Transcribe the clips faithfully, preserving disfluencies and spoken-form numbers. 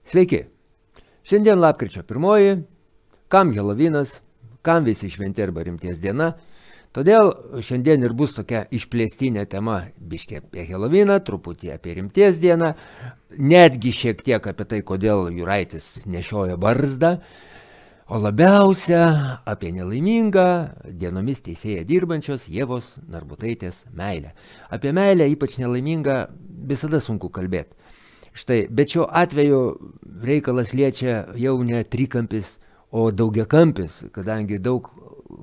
Sveiki. Šiandien lapkričio pirmoji, kam Helovinas, kam visi šventi arba rimties diena. Todėl šiandien ir bus tokia išplėstinė tema, biškė apie Heloviną, truputį apie rimties dieną, netgi šiek tiek apie tai, kodėl Juraitis nešioja barzdą, o labiausia apie nelaimingą dienomis teisėje dirbančios Ievos Narbutaitės meilę. Apie meilę, ypač nelaimingą, visada sunku kalbėti. Štai, bet šiuo atveju reikalas liečia jau ne trikampis, o daugiakampis, kadangi daug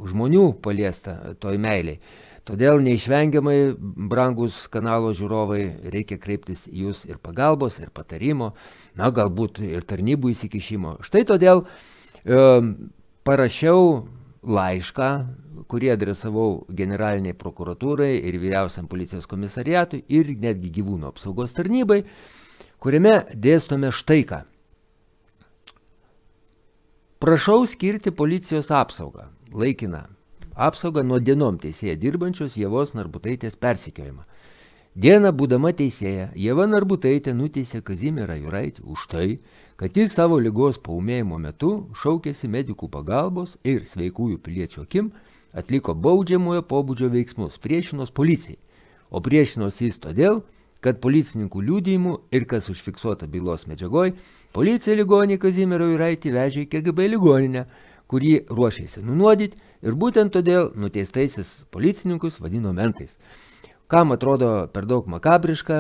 žmonių paliesta toj meiliai. Todėl neišvengiamai, brangus kanalo žiūrovai, reikia kreiptis į jūs ir pagalbos, ir patarimo, na galbūt ir tarnybų įsikišimo. Štai todėl e, parašiau laišką, kurį adresavau generaliniai prokuratūrai ir vyriausiam policijos komisariatui ir netgi gyvūnų apsaugos tarnybai, kuriame dėstome štai ką. Prašau skirti policijos apsaugą, laikiną apsaugą nuo dienom teisėje dirbančios Ievos Narbutaitės persekiojimą. Dieną būdama teisėja, Ieva Narbutaitė nuteisė Kazimierą Juraitį už tai, kad jis savo ligos paūmėjimo metu šaukėsi medikų pagalbos ir sveikųjų piliečių akim atliko baudžiamojo pobūdžio veiksmus, priešinos policijai, o priešinos jis todėl, kad policininkų liudijimų ir kas užfiksuota bylos medžiagoj, policija ligonį Kazimierą Juraitį vežė į K G B ligoninę, kurį ruošėsi nunuodyti ir būtent todėl nuteistaisiais policininkus vadino mentais. Kam atrodo per daug makabriška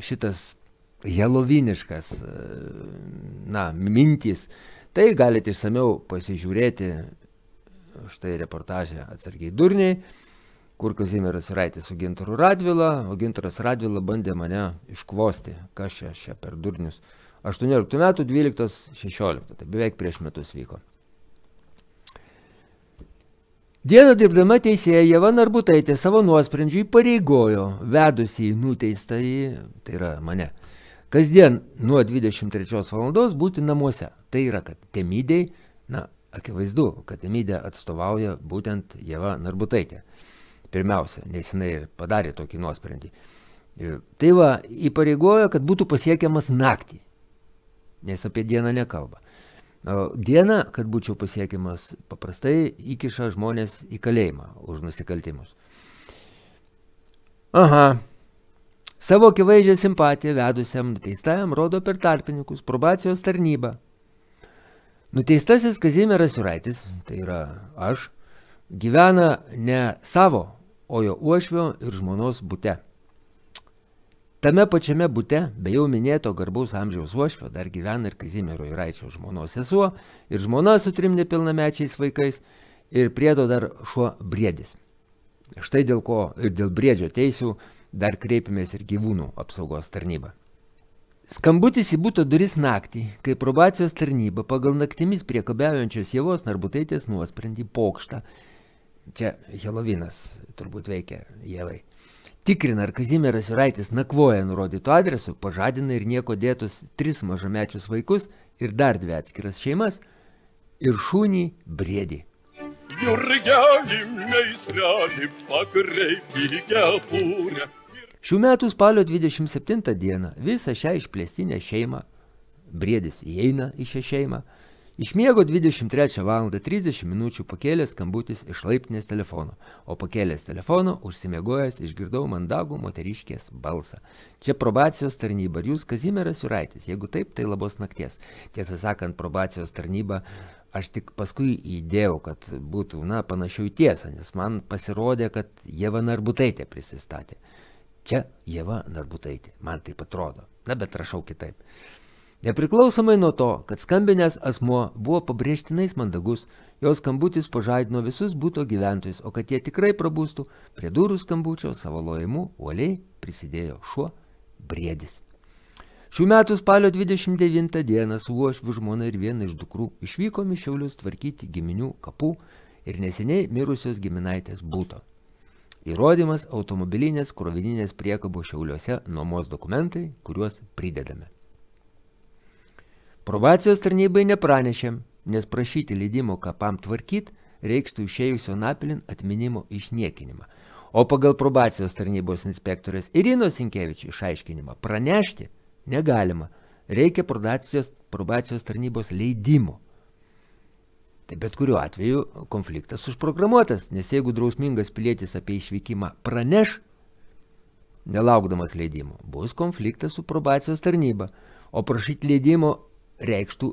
šitas heloviniškas, na, mintys, tai galite išsamiau pasižiūrėti štai reportažę Atsargiai durniai, kur Kazimieras Juraitis su Gintaru Radvila, o Gintaras Radvila bandė mane iškvosti, kas čia, čia per durnius. aštuonioliktų metų dvyliktos šešioliktos, tai beveik prieš metus vyko. Dieną dirbdama teisėja Ieva Narbutaitė savo nuosprendžiui pareigojo vedusi į nuteistąjį, tai yra mane, kasdien nuo dvidešimt trečios valandos būti namuose. Tai yra, kad Temidei, na, akivaizdu, kad Temidė atstovauja būtent Ieva Narbutaitė. Pirmiausia, nes jinai ir padarė tokį nuosprendį. Tai va, įpareigojo, kad būtų pasiekiamas naktį, nes apie dieną nekalba. Dieną, kad būčiau pasiekiamas, paprastai įkiša žmonės į kalėjimą už nusikaltimus. Aha, savo akivaizdžią simpatiją vedusiam nuteistajam rodo per tarpininkus probacijos tarnybą. Nuteistasis Kazimieras Juraitis, tai yra aš, gyvena ne savo, o jo uošvio ir žmonos bute. Tame pačiame bute, be jau minėto garbaus amžiaus uošvio, dar gyvena ir Kazimiero Juraičio žmonos sesuo, ir žmona su trim nepilnamečiais vaikais, ir priedo dar šuo Briedis. Štai dėl ko ir dėl Briedžio teisių dar kreipėmės ir gyvūnų apsaugos tarnybą. Skambutis į buto duris naktį, kai probacijos tarnyba pagal naktimis priekabiaujančios Ievos Narbutaitės nuosprendį pokštą, čia Helovinas turbūt veikia Ievai, tikrina, ar Kazimieras Juraitis nakvoja nurodytų adresų, pažadina ir nieko dėtus tris mažamečius vaikus ir dar dvi atskiras šeimas ir šunį Briedį. Jurgeli meistreli pakreipi kepurę. Šių metų spalio dvidešimt septintą dieną visą šią išplėstinę šeimą, Briedis įeina į šią šeimą, išmiego dvidešimt trečią valandą trisdešimt minučių pakėlęs skambutis iš laiptinės telefono, o pakėlęs telefono užsimiegojęs išgirdau mandagų moteriškės balsą. Čia probacijos tarnyba ir jūs Kazimieras Juraitis, jeigu taip, tai labos nakties. Tiesą sakant, probacijos tarnyba aš tik paskui įdėjau, kad būtų, na, panašiau į tiesą, nes man pasirodė, kad Ieva Narbutaitė prisistatė. Čia Ieva Narbutaitė, man taip atrodo, na, bet rašau kitaip. Nepriklausomai nuo to, kad skambinęs asmuo buvo pabrėžtinais mandagus, jos skambutis pažadino visus buto gyventojus, o kad jie tikrai prabūstų, prie durų skambučio savo lojimu uoliai prisidėjo šuo Briedis. Šių metų spalio dvidešimt devintą dieną su uošviu žmona ir viena iš dukrų išvykom į Šiaulius tvarkyti giminių kapų ir neseniai mirusios giminaitės buto. Įrodymas automobilinės krovininės priekabos Šiauliuose nuomos dokumentai, kuriuos pridedame. Probacijos tarnybai nepranešėm, nes prašyti leidimo kapam tvarkyt reikštų išėjusio napilin atminimo išniekinimą. O pagal probacijos tarnybos inspektorės Irinos Sinkevičių išaiškinimą pranešti negalima, reikia probacijos, probacijos tarnybos leidimo. Tai bet kuriuo atveju konfliktas užprogramuotas, nes jeigu drausmingas pilietis apie išvykimą praneš, nelaukdamas leidimo, bus konfliktas su probacijos tarnyba, o prašyti leidimo reikštų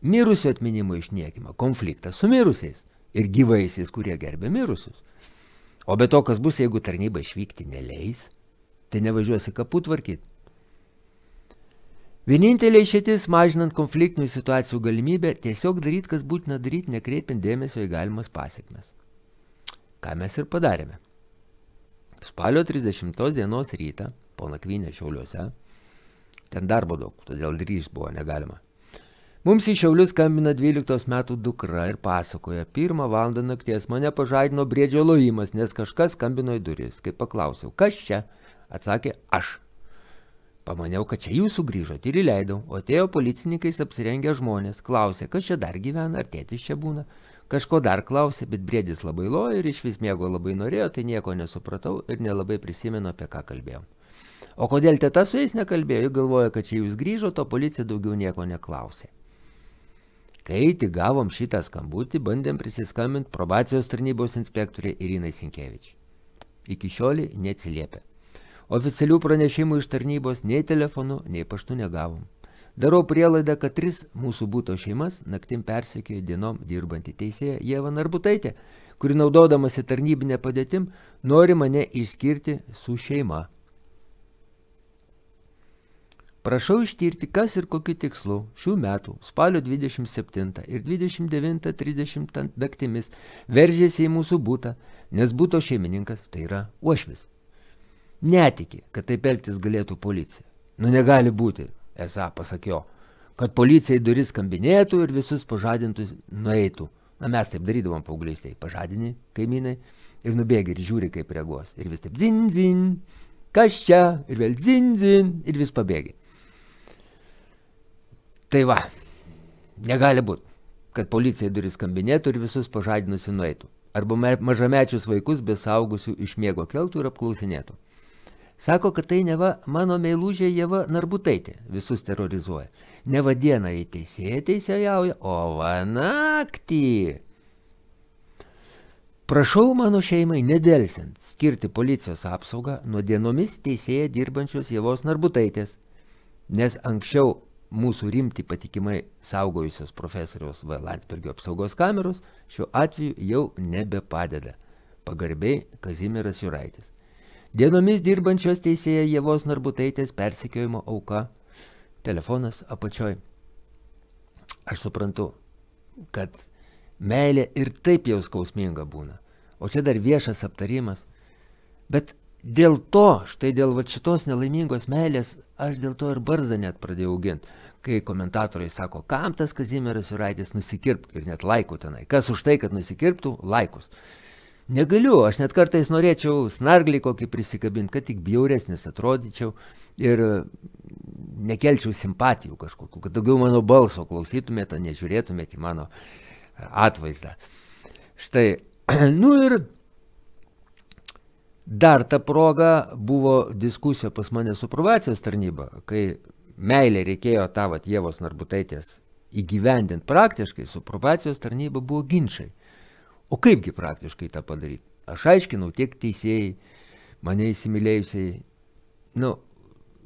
mirusio atminimo išniekimą, konfliktas su mirusiais ir gyvaisiais, kurie gerbė mirusius. O be to, kas bus, jeigu tarnyba išvykti neleis, tai nevažiuosi kapų tvarkyti. Vienintelė išeitis mažinant konfliktinių situacijų galimybę tiesiog daryti, kas būtina daryti, nekreipiant dėmesio į galimas pasekmes. Ką mes ir padarėme. Spalio trisdešimtos dienos rytą, po nakvynę Šiauliuose, ten darbo daug, todėl grįžt buvo negalima. Mums į Šiaulius skambina dvylikos metų dukra ir pasakoja, pirmą valandą nakties mane pažadino briedžio lojimas, nes kažkas skambino į duris. Kai paklausiau, kas čia? Atsakė, aš. Pamaniau, kad čia jūs sugrįžot ir įleidau, o atėjo policininkais apsirengę žmonės. Klausė, kas čia dar gyvena, ar tėtis čia būna. Kažko dar klausė, bet briedis labai lojo ir iš vis miego labai norėjo, tai nieko nesupratau ir nelabai prisimenu, apie ką kalbėjau. O kodėl teta su jais nekalbėjo, galvoja, kad čia jūs grįžot, o policija daugiau nieko neklausė. Kai tik gavom šitą skambutį, bandėm prisiskambinti probacijos tarnybos inspektorė Irinai Sinkevič. Iki šiolį neatsiliepė. Oficialių pranešimų iš tarnybos nei telefonu, nei paštu negavom. Darau prielaidą, kad tris mūsų būto šeimas naktim persekiojo dienom dirbantį teisėją Ieva Narbutaitė, kuri naudodamasi tarnybinę padėtim nori mane išskirti su šeima. Prašau ištirti, kas ir kokiu tikslu šių metų spalio dvidešimt septintą ir dvidešimt devintą trisdešimtą naktimis veržėsi į mūsų būtą, nes būto šeimininkas tai yra uošvis. Netiki, kad taip elgtis galėtų policija. Nu negali būti, esą pasakiau, kad policija į duris skambinėtų ir visus pažadintus nueitų. Na mes taip darydavom paauglystėje, pažadini kaimynai ir nubėgi ir žiūri, kaip reaguos. Ir vis taip zin, zin, kas čia, ir vėl zin, zin, ir vis pabėgi. Tai va, negali būti, kad policija į duris skambinėtų ir visus pažadinusi nueitų. Arba mažamečius vaikus be saugusių iš miego keltų ir apklausinėtų. Sako, kad tai neva mano meilužė Ieva Narbutaitė visus terrorizuoja. Neva dieną į teisėją teisėjauja, o va naktį. Prašau mano šeimai nedelsiant skirti policijos apsaugą nuo dienomis teisėją dirbančios Ievos Narbutaitės, nes anksčiau mūsų rimti patikimai saugojusios profesoriaus V. Landsbergio apsaugos kameros šiuo atveju jau nebepadeda. Pagarbiai Kazimieras Juraitis. Dienomis dirbančios teisėja Ievos Narbutaitės persekiojimo auka. Telefonas apačioj. Aš suprantu, kad meilė ir taip jau skausminga būna. O čia dar viešas aptarimas. Bet dėl to, štai dėl va šitos nelaimingos meilės, aš dėl to ir barzdą net pradėjau auginti. Kai komentatoriai sako, kam tas Kazimieras Juraitis nusikirptų ir net laikų tenai. Kas už tai, kad nusikirptų, laikus. Negaliu, aš net kartais norėčiau snarglį kokį prisikabinti, kad tik bjauresnis atrodyčiau ir nekelčiau simpatijų kažkokių, kad daugiau mano balso klausytumėte, o nežiūrėtumėte į mano atvaizdą. Štai, nu ir dar ta proga buvo diskusija pas mane su probacijos tarnyba, kai meilė reikėjo tą vat Ievos Narbutaitės įgyvendinti praktiškai, su probacijos tarnyba buvo ginčai. O kaipgi praktiškai tą padaryti? Aš aiškinau tiek teisėjai, mane įsimylėjusiai, nu,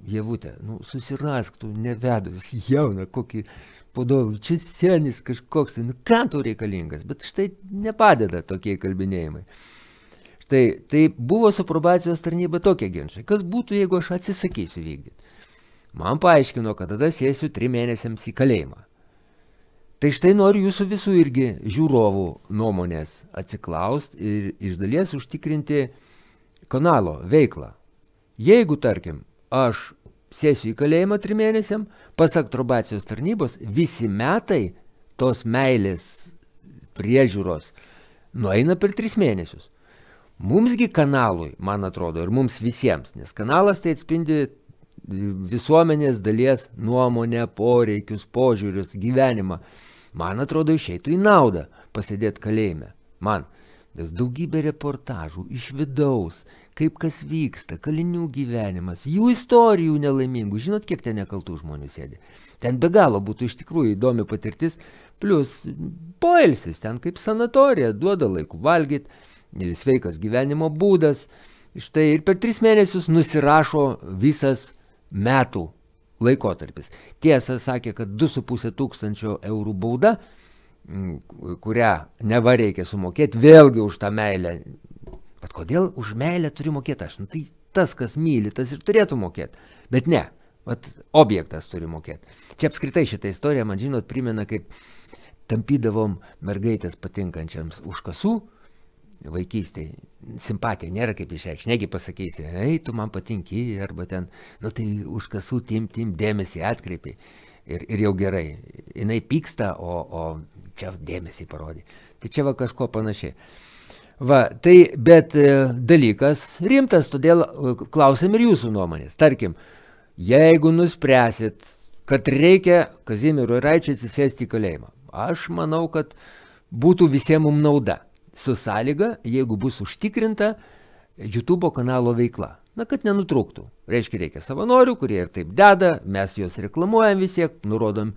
Ievutė, nu, susirask, tu nevedus, jauna, kokį podovų, čia senis kažkoks, tai, nu, kam tu reikalingas? Bet štai nepadeda tokie kalbinėjimai. Štai, tai buvo su probacijos tarnyba tokie ginčai. Kas būtų, jeigu aš atsisakysiu vykdyti? Man paaiškino, kad tada sėsiu trim mėnesiams į kalėjimą. Tai štai noriu jūsų visų irgi žiūrovų nuomonės atsiklaust ir iš dalies užtikrinti kanalo veiklą. Jeigu, tarkim, aš sėsiu į kalėjimą trim mėnesiam, pasak probacijos tarnybos, visi metai tos meilės priežiūros nueina per tris mėnesius. Mumsgi kanalui, man atrodo, ir mums visiems, nes kanalas tai atspindi visuomenės dalies nuomonę, poreikius, požiūrius, gyvenimą. Man atrodo, išeitų į naudą pasėdėti kalėjime. Man, nes daugybė reportažų iš vidaus, kaip kas vyksta, kalinių gyvenimas, jų istorijų nelaimingų. Žinot, kiek ten nekaltų žmonių sėdi. Ten be galo būtų iš tikrųjų įdomi patirtis, plus poilsis, ten kaip sanatorija, duoda laikų valgyti, sveikas gyvenimo būdas. Štai ir per tris mėnesius nusirašo visas metų laikotarpis. Tiesa, sakė, kad du su pusė tūkstančio eurų bauda, kurią neva reikia sumokėti, vėlgi už tą meilę. Bet kodėl už meilę turi mokėti aš? Nu, tai tas, kas myli, tas ir turėtų mokėti. Bet ne, vat, objektas turi mokėti. Čia apskritai šitą istoriją, man žinot, primena, kaip tampydavom mergaitės patinkančiams už kasų, vaikystėj. Simpatija nėra kaip išreikšti. Negi pasakysi, ei, tu man patinki, arba ten, nu tai už kasų tim, tim dėmesį atkreipiai. Ir, ir jau gerai. Jinai pyksta, o, o čia dėmesį parodė. Tai čia va kažko panašiai. Va, tai, bet e, dalykas rimtas, todėl e, klausim ir jūsų nuomonės. Tarkim, jeigu nuspręsit, kad reikia Kazimierui Raičiui atsisėsti į kalėjimą, aš manau, kad būtų visiems mums nauda. Su sąlyga, jeigu bus užtikrinta YouTube kanalo veikla. Na, kad nenutrūktų. Reiškia, reikia savanorių, kurie ir taip deda, mes juos reklamuojam visiek, nurodom,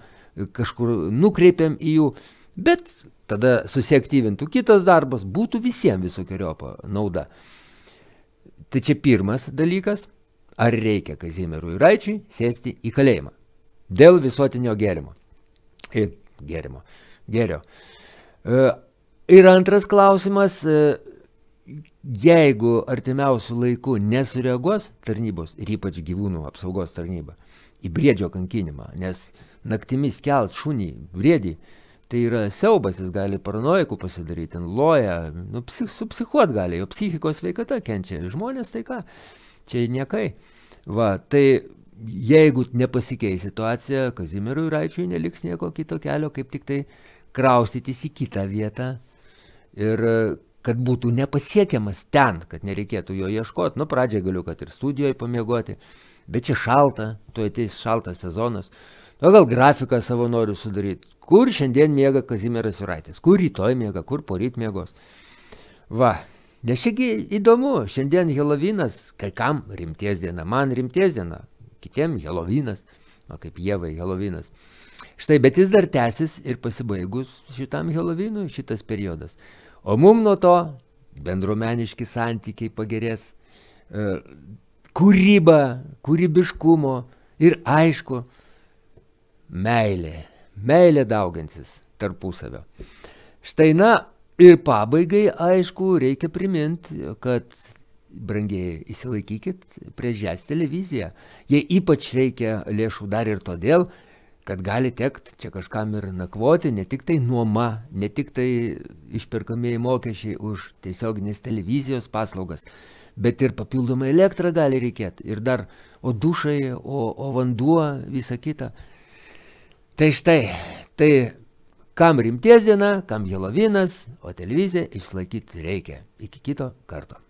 kažkur nukreipiam į jų, bet tada susiaktyvintų kitas darbas, būtų visiems visokiojopa nauda. Tai čia pirmas dalykas, ar reikia Kazimierui Raičiui sėsti į kalėjimą dėl visuotinio gėrimo. E, gėrimo. Gėrio. E, ir antras klausimas, e, jeigu artimiausių laikų nesureaguos tarnybos, ir ypač gyvūnų apsaugos tarnyba, į briedžio kankinimą, nes naktimis kelt šunį, briedį, tai yra siaubas, jis gali paranojikų pasidaryti, ten loja, nu, psich, supsichuot gali, jo psichikos sveikata kenčia, žmonės tai ką, čia niekai. Va, tai jeigu nepasikeis situacija, Kazimierui Raičiui neliks nieko kito kelio, kaip tik tai kraustytis į kitą vietą ir kad būtų nepasiekiamas ten, kad nereikėtų jo ieškoti. Nu, pradžiai galiu, kad ir studijoje pamiegoti, bet čia šalta, tu ateis šaltas sezonas. Nu, gal grafiką savo noriu sudaryti. Kur šiandien miega Kazimieras Juraitis? Kur rytoj miega, kur poryt miegos? Va, nes šiagi įdomu, šiandien Helovinas, kai kam rimties diena, man rimties diena, kitiem Helovinas, o kaip Ievai Helovinas. Štai, bet jis dar tęsis ir pasibaigus šitam Helovinui šitas periodas. O mum nuo to bendruomeniški santykiai pagerės, e, kūryba, kūrybiškumo ir aišku, meilė. Meilė dauginsis tarpusavio. Štai na ir pabaigai, aišku, reikia priminti, kad brangiai įsilaikykit prieš Žes televiziją. Jie ypač reikia lėšų dar ir todėl, kad gali tekt čia kažkam ir nakvoti, ne tik tai nuoma, ne tik tai išperkamieji mokesčiai už tiesioginės televizijos paslaugas, bet ir papildomai elektrą gali reikėti. Ir dar o dušai, o, o vanduo, visa kita. Tai štai, tai kam rimties diena, kam Helovinas, o televiziją išlaikyti reikia. Iki kito karto.